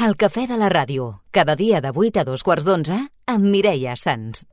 El cafè de la ràdio, cada dia de 8 a 2:15 amb Mireia Sans.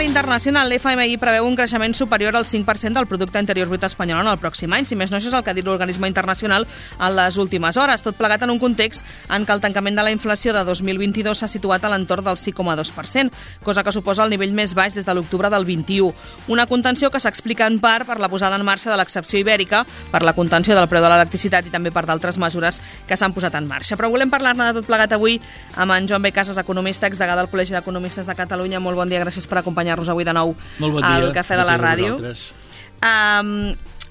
Internacional, l'FMI preveu un creixement superior al 5% del producte interior brut espanyol en el pròxim any. Si més no, això és el que ha dit l'organisme internacional en les últimes hores, tot plegat en un context en què el tancament de la inflació de 2022 s'ha situat a l'entorn del 6,2%, cosa que suposa el nivell més baix des de l'octubre del 21. Una contenció que s'explica en part per la posada en marxa de l'excepció ibèrica, per la contenció del preu de l'electricitat i també per d'altres mesures que s'han posat en marxa. Però volem parlar-ne de tot plegat avui amb en Joan B. Casas, economista, exdegà del Col·legi d'Economistes de Catalunya. Molt bon dia, gràcies per acompanyar-nos avui de nou al Cafè de la Ràdio.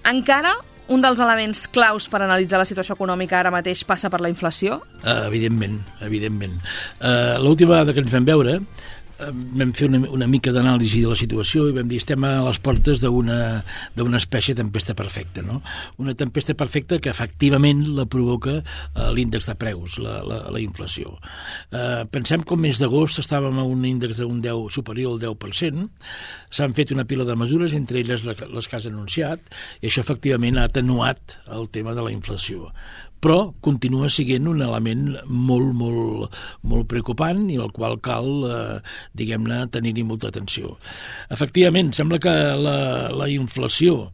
Encara un dels elements claus per analitzar la situació econòmica ara mateix passa per la inflació? Evidentment. L'última vegada que ens vam veure vam fer una mica d'anàlisi de la situació i vam dir estem a les portes d'una espècie de tempesta perfecta, no? Una tempesta perfecta que efectivament la provoca l'índex de preus, la inflació. Pensem que el mes d'agost estàvem a un índex d'un 10 superior al 10%, s'han fet una pila de mesures, entre elles les que has anunciat, i això efectivament ha atenuat el tema de la inflació. Però continua sent un element molt preocupant i al qual cal, diguem-ne, tenir-hi molta atenció. Efectivament, sembla que la inflació,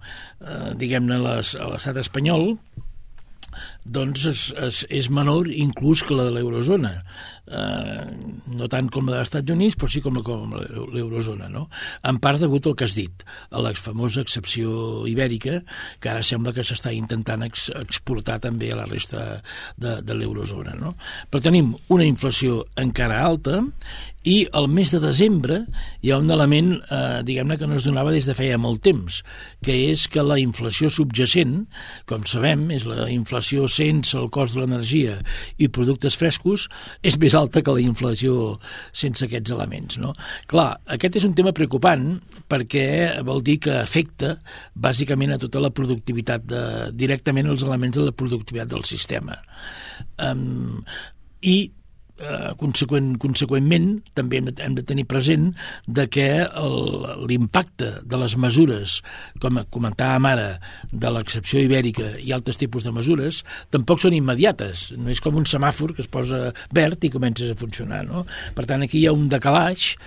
diguem-ne, a l'estat espanyol, doncs és menor inclús que la de l'eurozona. No tant com la dels Estats Units, però sí com l'eurozona, no? En part degut al que has dit, a la famosa excepció ibèrica, que ara sembla que s'està intentant exportar també a la resta de l'eurozona, no? Però tenim una inflació encara alta i al mes de desembre hi ha un element, diguem-ne, que no es donava des de feia molt temps, que és que la inflació subjacent, com sabem, és la inflació sense el cost de l'energia i productes frescos, és més alta que la inflació sense aquests elements, no? Clar, aquest és un tema preocupant perquè vol dir que afecta bàsicament a tota la productivitat, directament els elements de la productivitat del sistema. I conseqüentment també hem de tenir present de que l'impacte de les mesures, com comentàvem ara, de l'excepció ibèrica i altres tipus de mesures, tampoc són immediates. No és com un semàfor que es posa verd i comences a funcionar, no? Per tant, aquí hi ha un decalatge,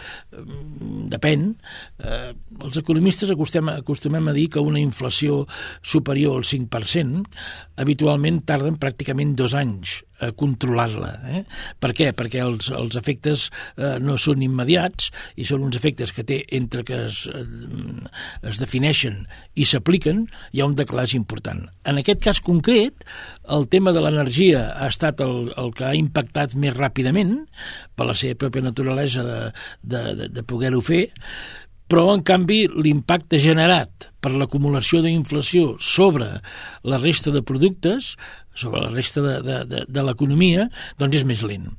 depèn. Els economistes acostumem a dir que una inflació superior al 5% habitualment tarden pràcticament 2 anys a controlar-la. Per què? Perquè els efectes no són immediats i són uns efectes que té entre que es defineixen i s'apliquen, hi ha un decalatge important. En aquest cas concret, el tema de l'energia ha estat el que ha impactat més ràpidament per la seva pròpia naturalesa de poder-ho fer, però, en canvi, l'impacte generat per l'acumulació d'inflació sobre la resta de productes, sobre la resta de l'economia, doncs és més lent.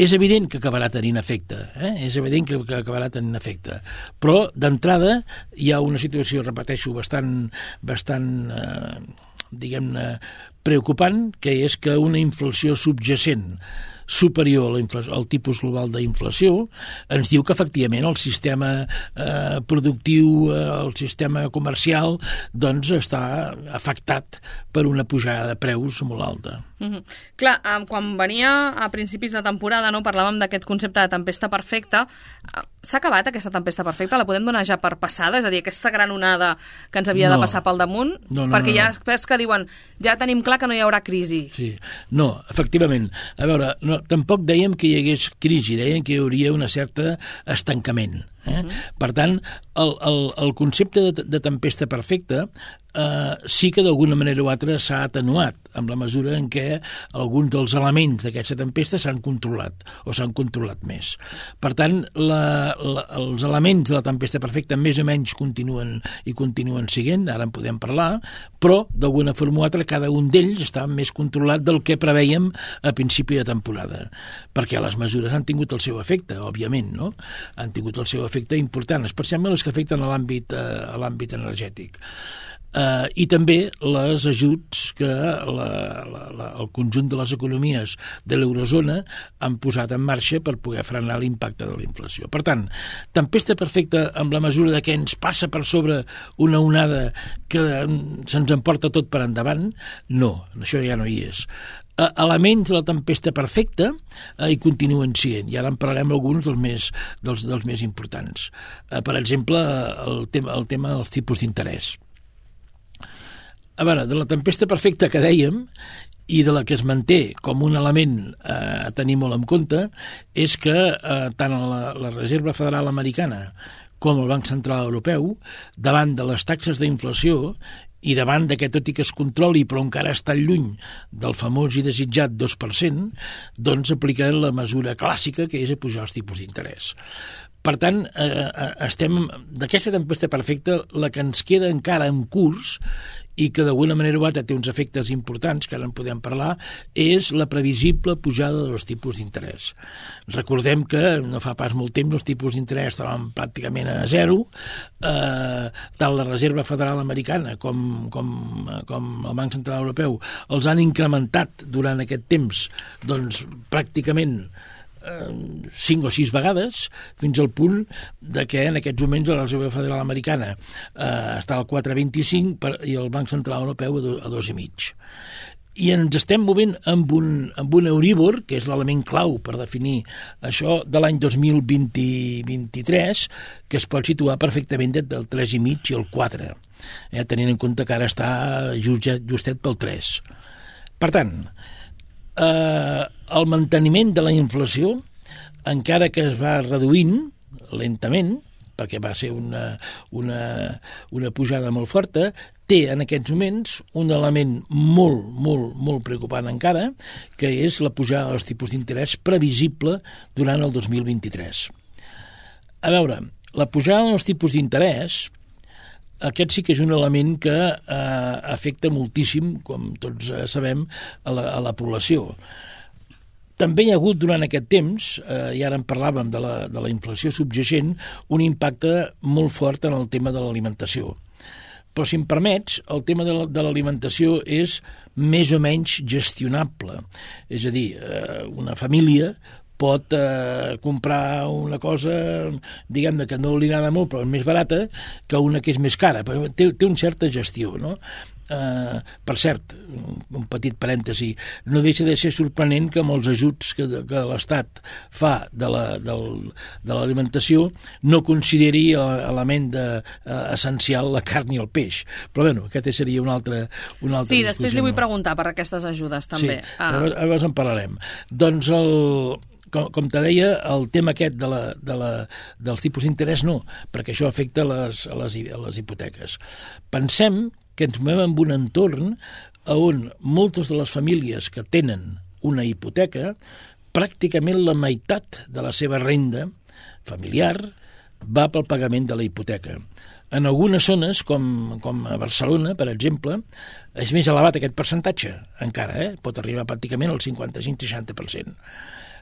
És evident que acabarà tenint efecte, és evident que acabarà tenint efecte, però d'entrada hi ha una situació, repeteixo, bastant diguem-ne, preocupant, que és que una inflació subjacent superior al tipus global d'inflació ens diu que efectivament el sistema productiu, el sistema comercial, doncs està afectat per una pujada de preus molt alta. Clar, quan venia a principis de temporada, no, parlàvem d'aquest concepte de tempesta perfecta. S'ha acabat aquesta tempesta perfecta? La podem donar ja per passada? És a dir, aquesta gran onada que ens havia de passar pel damunt? Perquè hi ha experts que diuen ja tenim clar que no hi haurà crisi. Sí, no, efectivament. A veure, tampoc dèiem que hi hagués crisi, dèiem que hi hauria una certa estancament. Per tant, el concepte de tempesta perfecta sí que d'alguna manera o altra s'ha atenuat amb la mesura en què alguns dels elements d'aquesta tempesta s'han controlat o s'han controlat més. Per tant, els elements de la tempesta perfecta més o menys continuen siguent, ara en podem parlar, però d'alguna forma o altra cada un d'ells està més controlat del que preveiem a principi de temporada, perquè les mesures han tingut el seu efecte, òbviament, no? Han tingut el seu efecte important, especialment les que afecten a l'àmbit energètic. I també les ajuts que el conjunt de les economies de l'eurozona han posat en marxa per poder frenar l'impacte de la inflació. Per tant, tempesta perfecta amb la mesura de que ens passa per sobre una onada que se'ns emporta tot per endavant, no, això ja no hi és. Elements de la tempesta perfecta hi continuen sent, i ara en parlarem alguns dels més importants. Per exemple, el tema dels tipus d'interès. A veure, de la tempesta perfecta que dèiem i de la que es manté com un element a tenir molt en compte és que tant la Reserva Federal Americana com el Banc Central Europeu, davant de les taxes d'inflació i davant de que tot i que es controli però encara està lluny del famós i desitjat 2%, doncs apliquen la mesura clàssica que és apujar els tipus d'interès. Per tant, estem d'aquesta tempesta perfecta, la que ens queda encara en curs i que d'alguna manera o altra té uns efectes importants, que ara en podem parlar, és la previsible pujada dels tipus d'interès. Recordem que no fa pas molt temps els tipus d'interès estaven pràcticament a zero, tant la Reserva Federal Americana com el Banc Central Europeu els han incrementat durant aquest temps doncs pràcticament 5 o 6 vegades, fins al punt de que en aquests moments la Reserva Federal Americana està al 4,25 i el Banc Central Europeu a 2,5. I ens estem movent amb un Euribor, que és l'element clau per definir això, de l'any 2023, que es pot situar perfectament del 3,5 i el 4, tenint en compte que ara està justet pel 3. Per tant, el manteniment de la inflació, encara que es va reduint lentament, perquè va ser una pujada molt forta, té en aquests moments un element molt preocupant encara, que és la pujada dels tipus d'interès previsible durant el 2023. A veure, la pujada dels tipus d'interès, aquest sí que és un element que afecta moltíssim, com tots sabem, a la població. També hi ha hagut durant aquest temps, i ara en parlàvem de la inflació subjacent, un impacte molt fort en el tema de l'alimentació. Però, si em permets, el tema de l'alimentació és més o menys gestionable. És a dir, una família pot comprar una cosa, diguem-ne, que no li agrada molt, però és més barata, que una que és més cara. Té una certa gestió, no? Per cert, un petit parèntesi, no deixa de ser sorprenent que amb els ajuts que l'Estat fa de l'alimentació no consideri l'element essencial la carn i el peix. Però bé, aquest seria un altre sí, després li vull preguntar per aquestes ajudes també. Sí, llavors en parlarem. Doncs com te deia, el tema aquest dels tipus d'interès no, perquè això afecta les hipoteques. Pensem que ens movem en un entorn on moltes de les famílies que tenen una hipoteca, pràcticament la meitat de la seva renda familiar va pel pagament de la hipoteca. En algunes zones, com a Barcelona, per exemple, és més elevat aquest percentatge, encara, pot arribar pràcticament al 55-60%.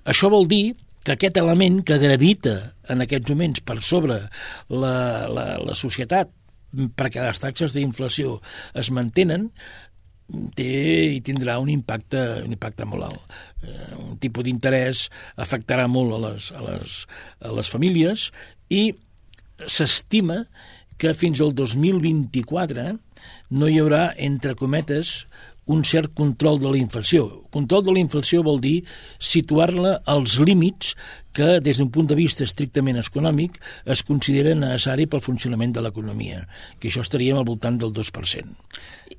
Això vol dir que aquest element que gravita en aquests moments per sobre la societat, perquè les taxes d'inflació es mantenen, tindrà un impacte molt alt. Un tipus d'interès afectarà molt a les famílies i s'estima que fins al 2024 no hi haurà, entre cometes, un cert control de la inflació. Control de la inflació vol dir situar-la als límits que, des d'un punt de vista estrictament econòmic, es considera necessari pel funcionament de l'economia, que això estaríem al voltant del 2%.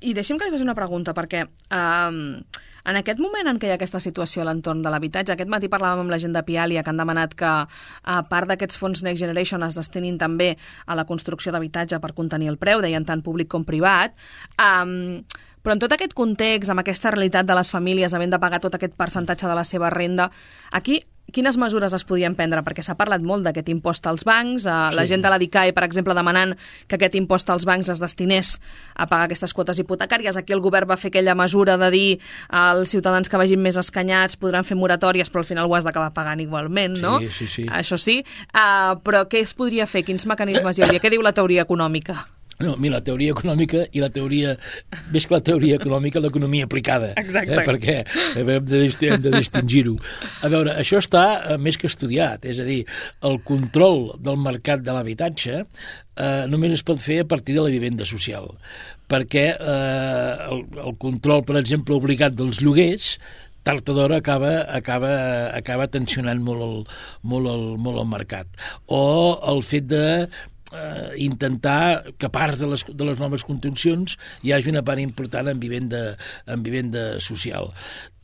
I deixi'm que li faci una pregunta, perquè en aquest moment en què hi ha aquesta situació a l'entorn de l'habitatge, aquest matí parlàvem amb la gent de Pialia que han demanat que a part d'aquests fons Next Generation es destinin també a la construcció d'habitatge per contenir el preu, deien tant públic com privat, però en tot aquest context, amb aquesta realitat de les famílies havent de pagar tot aquest percentatge de la seva renda, aquí quines mesures es podien prendre? Perquè s'ha parlat molt d'aquest impost als bancs, la gent de la DICAE, per exemple, demanant que aquest impost als bancs es destinés a pagar aquestes quotes hipotecàries. Aquí el govern va fer aquella mesura de dir als ciutadans que vagin més escanyats podran fer moratòries, però al final ho has d'acabar pagant igualment, no? Sí. Això sí. Però què es podria fer? Quins mecanismes hi hauria? Què diu la teoria econòmica? No, mira, la teoria econòmica i la teoria, més que la teoria econòmica, l'economia aplicada. Exacte. Perquè hem de distingir-ho. A veure, això està més que estudiat, és a dir, el control del mercat de l'habitatge només es pot fer a partir de la vivenda social, perquè el control, per exemple, obligat dels lloguers, tard o d'hora acaba tensionant molt el mercat. O el fet de intentar que a part de les noves contencions hi hagi una part important en vivenda social.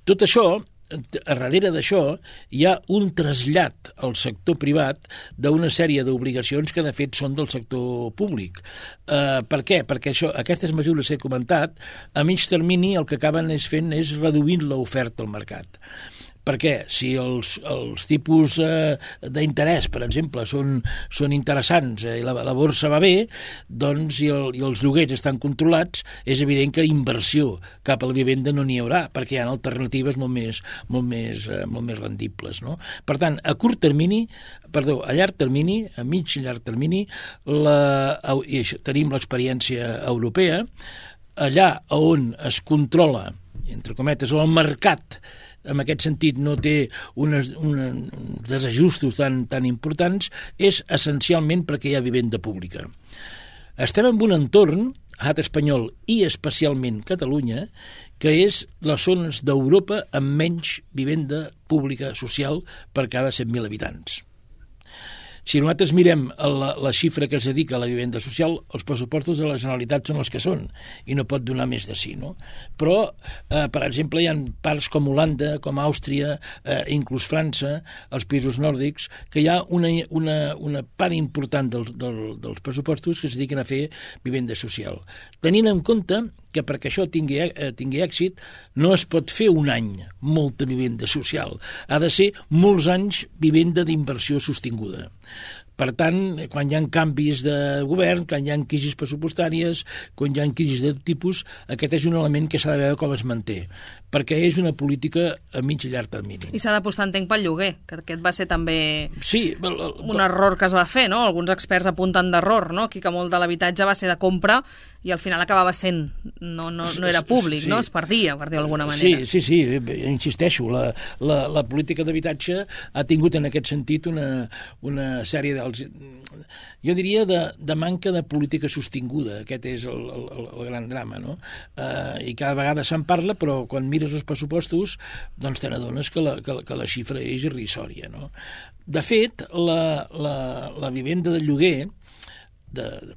Tot això, a darrere d'això, hi ha un trasllat al sector privat d'una sèrie d'obligacions que de fet són del sector públic. Per què? Perquè aquestes mesures que he comentat, a mig termini el que acaben fent és reduint l'oferta al mercat. Perquè si els tipus d'interès, per exemple, són interessants i la borsa va bé, doncs i els lloguers estan controlats, és evident que inversió cap a la vivenda no n'hi haurà, perquè hi ha alternatives molt més rendibles, no? Per tant, a llarg termini, a mig i llarg termini, tenim l'experiència europea, allà on es controla, entre cometes, el mercat, en aquest sentit no té uns desajustos tan importants, és essencialment perquè hi ha vivenda pública. Estem en un entorn, l'estat espanyol i especialment Catalunya, que és les zones d'Europa amb menys vivenda pública social per cada 100.000 habitants. Si nosaltres mirem la xifra que es dedica a la vivenda social, els pressupostos de la Generalitat són els que són i no pot donar més de sí, no? Però, per exemple, hi ha parts com Holanda, com Àustria, inclús França, els països nòrdics, que hi ha una part important dels pressupostos que es dediquen a fer vivenda social. Tenint en compte que perquè això tingui èxit no es pot fer un any molta vivenda social. Ha de ser molts anys vivenda d'inversió sostinguda. Per tant, quan hi ha canvis de govern, quan hi ha crisis pressupostàries, quan hi ha crisis de tot tipus, aquest és un element que s'ha de veure com es manté, perquè és una política a mig i llarg termini. I s'ha d'apostar, entenc, pel lloguer, que aquest va ser també un error que es va fer, no? Alguns experts apunten d'error, no? Aquí que molt de l'habitatge va ser de compra i al final acabava sent, no era públic, no? Es perdia, per dir d'alguna manera. Sí, insisteixo, la política d'habitatge ha tingut en aquest sentit una sèrie jo diria de manca de política sostinguda. Aquest és el gran drama, no? I cada vegada se'n parla, però quan mires els pressupostos doncs te n'adones que la xifra és irrisòria, no? De fet, la vivenda de lloguer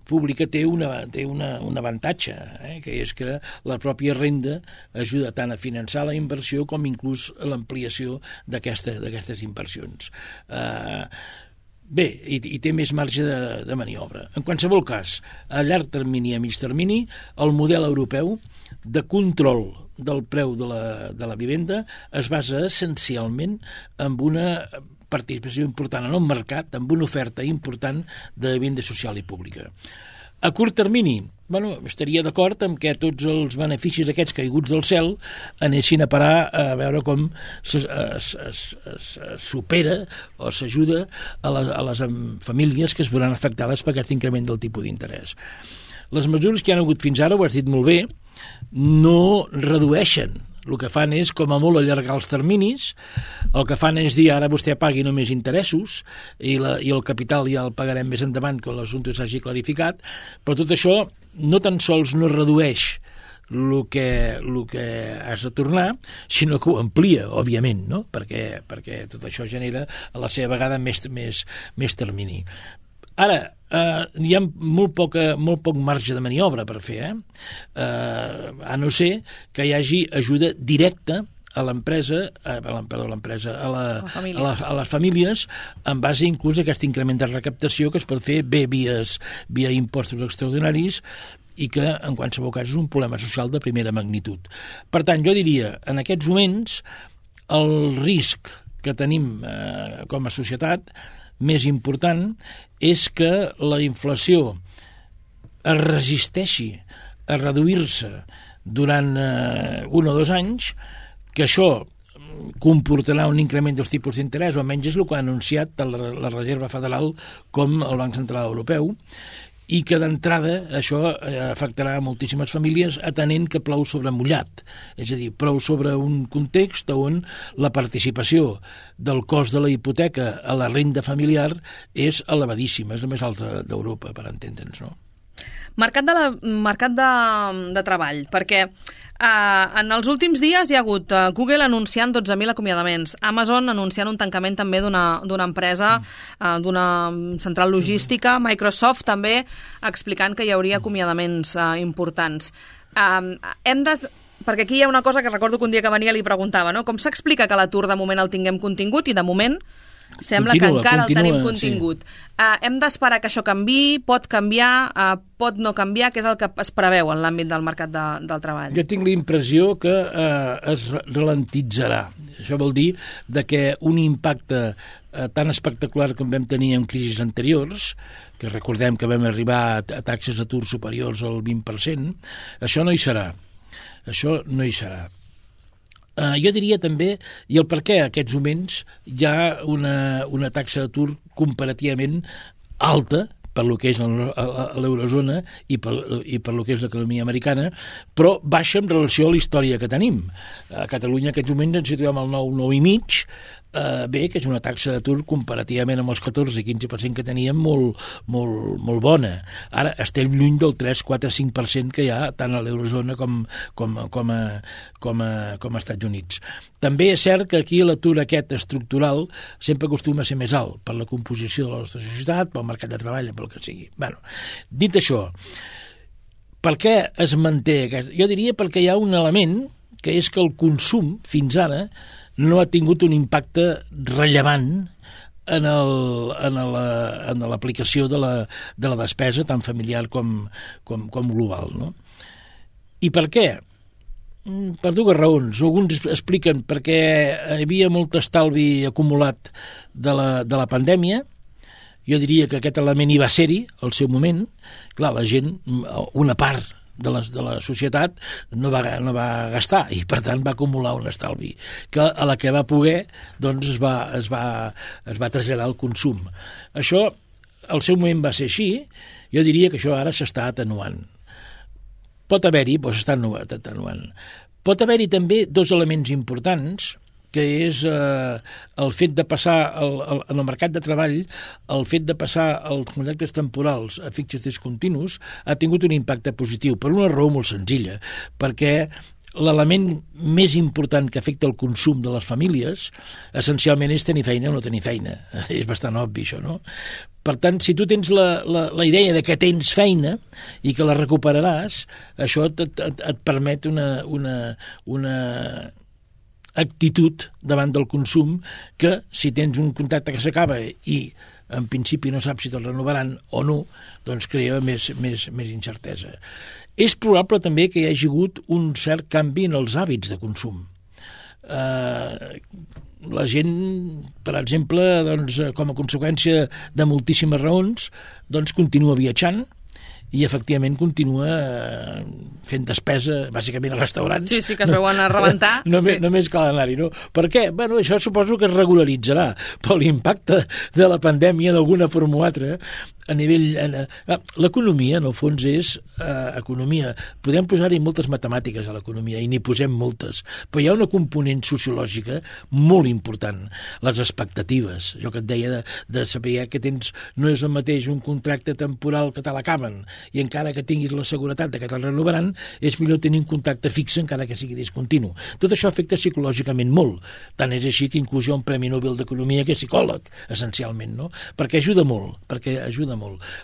pública té un avantatge, que és que la pròpia renda ajuda tant a finançar la inversió com inclús a l'ampliació d'aquestes inversions. Bé, i té més marge de maniobra. En qualsevol cas, a llarg termini i a mig termini, el model europeu de control del preu de la vivenda es basa essencialment en una participació important en el mercat, amb una oferta important de vivenda social i pública. A curt termini, estaria d'acord amb que tots els beneficis aquests caiguts del cel anessin a parar a veure com es supera o s'ajuda a les famílies que es veuran afectades per aquest increment del tipus d'interès. Les mesures que hi ha hagut fins ara, ho has dit molt bé, no redueixen el que fan és, com a molt, allargar els terminis, el que fan és dir, ara vostè pagui només interessos, i el capital ja el pagarem més endavant quan l'assumpte s'hagi clarificat, però tot això no tan sols no redueix el que has de tornar, sinó que ho amplia, òbviament, no? perquè tot això genera a la seva vegada més termini. Ara, hi ha molt poc marge de maniobra per fer, a no ser que hi hagi ajuda directa a l'empresa, a les famílies, en base inclús a aquest increment de recaptació que es pot fer bé via impostos extraordinaris, i que en qualsevol cas és un problema social de primera magnitud. Per tant, jo diria, en aquests moments, el risc que tenim com a societat més important és que la inflació es resisteixi a reduir-se durant 1 o 2 anys, que això comportarà un increment dels tipus d'interès, o almenys és el que ha anunciat tant la Reserva Federal com el Banc Central Europeu, i que d'entrada això afectarà moltíssimes famílies atenent que plou sobre mullat, és a dir, plou sobre un context on la participació del cost de la hipoteca a la renda familiar és elevadíssima, és la més alta d'Europa, per entendre'ns, no? Mercat de treball, perquè en els últims dies hi ha hagut Google anunciant 12.000 acomiadaments, Amazon anunciant un tancament també d'una empresa, d'una central logística, Microsoft també explicant que hi hauria acomiadaments importants. Perquè aquí hi ha una cosa que recordo que un dia que venia li preguntava, no? Com s'explica que l'atur de moment el tinguem contingut i de moment sembla que encara el tenim contingut. Sí. Hem d'esperar que això canviï, pot canviar, pot no canviar, què és el que es preveu en l'àmbit del mercat del treball? Jo tinc la impressió que es ralentitzarà. Això vol dir que un impacte tan espectacular com vam tenir en crisis anteriors, que recordem que vam arribar a taxes d'atur superiors al 20%, això no hi serà. Això no hi serà. Jo diria també, i el per què en aquests moments hi ha una taxa d'atur comparativament alta per lo que és l'eurozona i per lo que és l'economia americana, però baixa en relació a la història que tenim. A Catalunya en aquests moments ens situem al 9,5, que és una taxa d'atur comparativament amb els 14-15% que teníem molt bona. Ara estem lluny del 3-4-5% que hi ha tant a l'eurozona com a Estats Units. També és cert que aquí l'atur aquest estructural sempre acostuma a ser més alt per la composició de la nostra societat, pel mercat de treball, pel que sigui. Bueno, dit això, per què es manté aquest? Jo diria perquè hi ha un element que és que el consum fins ara no ha tingut un impacte rellevant en l'aplicació de la despesa tant familiar com global, no? I per què? Per dues raons. Alguns expliquen perquè hi havia molt estalvi acumulat de la pandèmia. Jo diria que aquest element hi va ser-hi al seu moment. Clar, la gent, una part de la societat no va gastar i per tant va acumular un estalvi que a la que va poder doncs es va traslladar al consum. Això al seu moment va ser així. Jo diria que això ara s'està atenuant. Pot haver-hi, però s'està atenuant. Pot haver-hi també dos elements importants, que és el fet de passar en el mercat de treball, el fet de passar els contractes temporals a fixes discontinus ha tingut un impacte positiu, per una raó molt senzilla, perquè l'element més important que afecta el consum de les famílies essencialment és tenir feina o no tenir feina. És bastant obvi això, no? Per tant, si tu tens la idea de que tens feina i que la recuperaràs, això et permet una actitud davant del consum que si tens un contracte que s'acaba i en principi no saps si te'l renovaran o no, doncs crea més incertesa. És probable també que hi hagi hagut un cert canvi en els hàbits de consum. La gent, per exemple, doncs, com a conseqüència de moltíssimes raons, doncs continua viatjant i efectivament continua fent despesa, bàsicament a restaurants. Sí, que es veuen a rebentar. Només cal anar-hi, no? Per què? Bueno, això suposo que es regularitzarà, però l'impacte de la pandèmia d'alguna forma o altra a nivell... L'economia, en el fons, és economia. Podem posar-hi moltes matemàtiques a l'economia, i n'hi posem moltes, però hi ha una component sociològica molt important, les expectatives. Jo que et deia de saber que tens, no és el mateix un contracte temporal que te l'acaben, i encara que tinguis la seguretat de que te'l renovaran, és millor tenir un contacte fix encara que sigui discontinu. Tot això afecta psicològicament molt. Tant és així que inclús hi ha un Premi Nobel d'Economia que és psicòleg, essencialment, no? Perquè ajuda molt.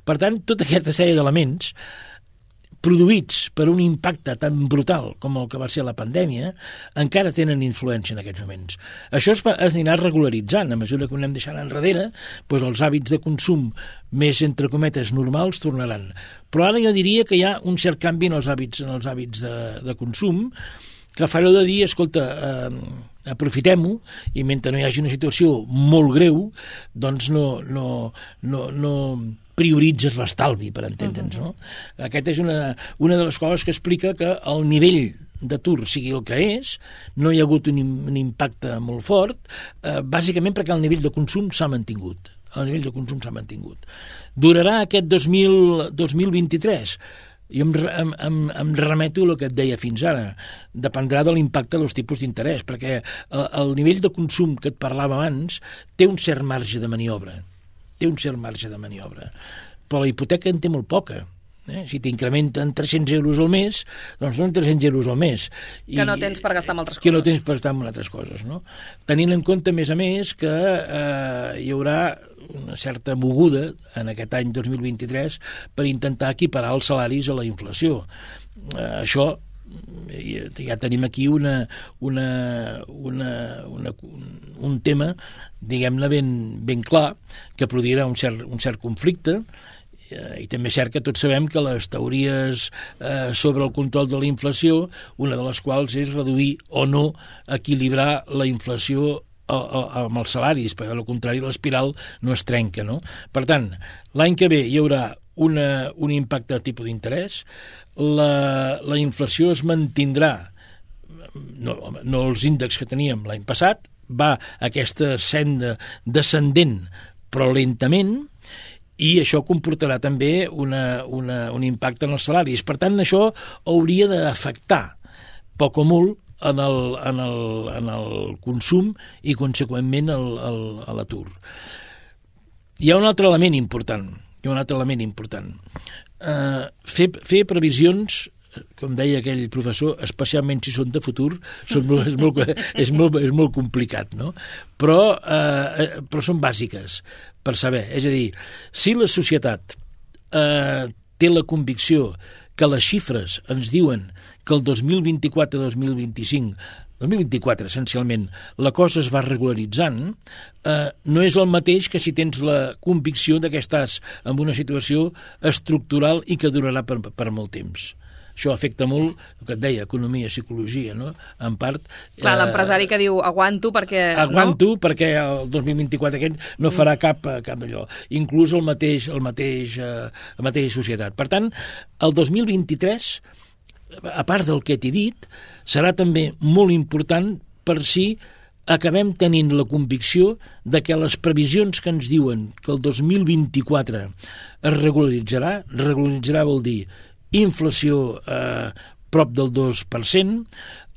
Per tant, tota aquesta sèrie d'elements produïts per un impacte tan brutal com el que va ser la pandèmia, encara tenen influència en aquests moments. Això es anirà regularitzant. A mesura que ho anem deixant enrere, doncs els hàbits de consum més, entre cometes, normals tornaran. Però ara jo diria que hi ha un cert canvi en els hàbits de consum, que fareu de dir, escolta, aprofitem-ho, i mentre no hi hagi una situació molt greu, doncs no prioritzes l'estalvi, per entendre'ns, no? Aquesta és una de les coses que explica que el nivell d'atur sigui el que és, no hi ha hagut un impacte molt fort, bàsicament perquè el nivell de consum s'ha mantingut. Durarà aquest 2023? Jo em remeto al que et deia fins ara. Dependrà de l'impacte dels tipus d'interès, perquè el nivell de consum que et parlava abans té un cert marge de maniobra. Però la hipoteca en té molt poca. Si t'incrementen 300 euros al mes, doncs són 300 euros al mes. Que no tens per gastar en altres coses. Que no tens per gastar en altres coses, no? Tenint en compte, a més, que hi haurà una certa moguda en aquest any 2023 per intentar equiparar els salaris a la inflació. Això ja tenim aquí un tema, diguem-ne, ben clar, que produirà un cert conflicte, i també és cert que tots sabem que les teories sobre el control de la inflació, una de les quals és reduir o no equilibrar la inflació amb els salaris, perquè al contrari l'espiral no es trenca, no? Per tant, l'any que ve hi haurà un impacte del tipus d'interès, la inflació es mantindrà, no els índexs que teníem l'any passat, va aquesta senda descendent però lentament, i això comportarà també un impacte en els salaris. Per tant, això hauria d'afectar poc o molt en el consum i, conseqüentment, a l'atur. Hi ha un altre element important. Fer previsions, com deia aquell professor, especialment si són de futur, és molt complicat, no? Però són bàsiques per saber. És a dir, si la societat té la convicció que les xifres ens diuen que el 2024-2025, 2024 essencialment, la cosa es va regularitzant, no és el mateix que si tens la convicció de que estàs en una situació estructural i que durarà per molt temps. Això afecta molt, el que et deia, economia, psicologia, no? En part... Clar, l'empresari que diu aguanto perquè... Aguanto perquè el 2024 aquest no farà cap d'allò. Inclús la mateixa societat. Per tant, el 2023, a part del que t'he dit, serà també molt important per si acabem tenint la convicció de que les previsions que ens diuen que el 2024 es regularitzarà vol dir inflació prop del 2%,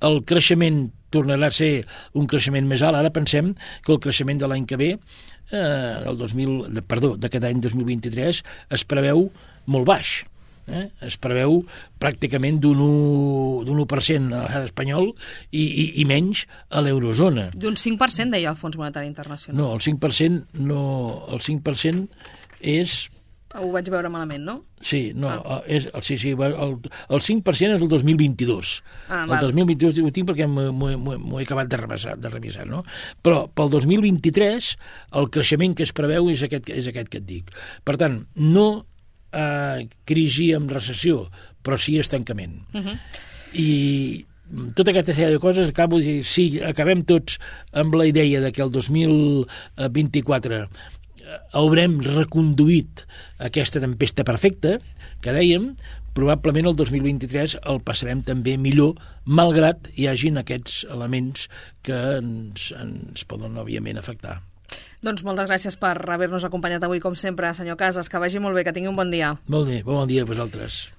el creixement tornarà a ser un creixement més alt. Ara pensem que el creixement de l'any que ve, d'aquest any 2023, es preveu molt baix. Es preveu pràcticament d'un 1% a l'estat espanyol i menys a l'eurozona. D'un 5%, deia el Fons Monetari Internacional. No, el 5% el 5% és... Ho vaig veure malament, no? Sí, no, el 5% és el 2022. El 2022 ho tinc perquè m'ho he acabat de revisar, no? Però pel 2023 el creixement que es preveu és aquest que et dic. Per tant, no crisi amb recessió, però sí estancament. I tota aquesta sèrie de coses, acabo de dir, si acabem tots amb la idea de que el 2024 haurem reconduït aquesta tempesta perfecta, que dèiem, probablement el 2023 el passarem també millor, malgrat hi hagin aquests elements que ens poden, òbviament, afectar. Doncs moltes gràcies per haver-nos acompanyat avui, com sempre, senyor Casas. Que vagi molt bé, que tingui un bon dia. Molt bé, bon dia a vosaltres.